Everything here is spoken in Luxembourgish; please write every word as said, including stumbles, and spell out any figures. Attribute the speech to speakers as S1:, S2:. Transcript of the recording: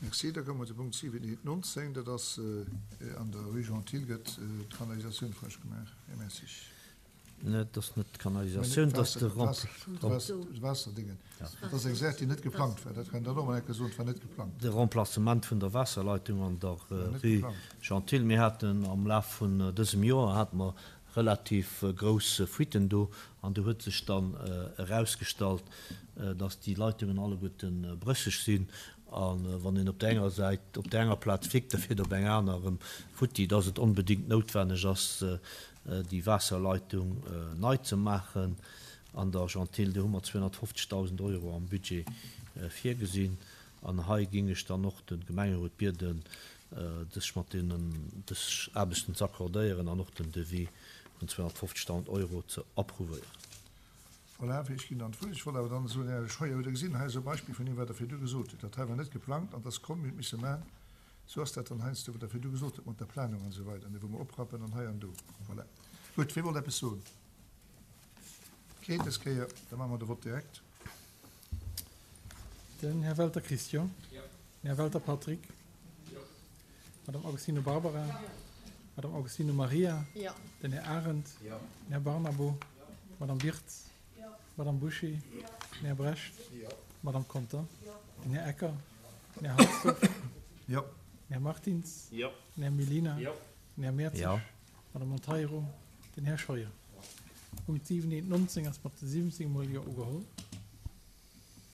S1: Merci. Da komme mer zu Punkt siwen eent nonzéng. Dat ass an der Rue Jean Thill gëtt d'Kanalisatioun frësch gemaach. Här Messig.
S2: Dat ass net d'Kanalisatioun, dat ass de
S1: Waasserdingen. Dat ass eng Saach, déi net geplangt war. Dat kann Der och emol eng Kéier soen. Et war net geplangt.
S2: De Remplacement vun der Waasserleitung an der Rue Jean Thill. Mir haten am Laf vun dësem Joer hate mer relativ grouss Fuiten do an do huet sech dann erausgestallt, dass déi Leitungen alleguerte brécheg sinn a wann een op där enger Säit, op där enger Plaz flickt, da fiert op eng aner erëm futti, dass et onbedéngt noutwenneg ass, déi Waasserleitung nei ze maachen an der Jean Thill. Do hu mer zweehonnertfofzegdausend Euro am Budget virgesinn an hei géing ech dann och de Gemengerot bieden, sech mat deenen dës Aarbechten ze accordéieren an och den Devis vun zweehonnertfofzegdausend Euro ze approuvéieren.
S1: Voilà, ech ginn dann d'Wuert. Ech wollt awer dann soen, Här Scheuer, hutt Der gesinn, hei ass e Beispill vun deem, wat Der virdu gesot hutt. Dat hei war net geplangt an et ass komm, mir hunn et misse maachen. Sou ass dat dann heiansdo, wat Der virdu gesot hutt mat der Planung an esou weider, wou mer oprappen an hei an do. Voilà. Gutt, wie wollt eppes soen? Keen dës Kéier. Da maache mer de Vott direkt.
S3: Den Här Welter Christian. Jo. Den Här Welter Patrick. Jo. Madame Augustino Barbara. Jo. Madame Augustino Maria. Jo. Den Här Arendt. Jo. Den Här Barnabo. Jo. Madame Wirtz. Jo. Madame Bouché. Jo. Den Här Brecht. Jo. Madame Conter. Jo. Den Här Ecker. Jo. Den Här Halsdorf.
S1: Jo.
S3: Den Här Martins.
S4: Jo.
S3: Den Här Mellina.
S4: Jo.
S3: Den Här Mertzig.
S2: Jo.
S3: Madame Monteiro. Den Här Scheuer. Punkt siwen eent nonzéng ass mat siwwenzéng Mol Jo ugeholl.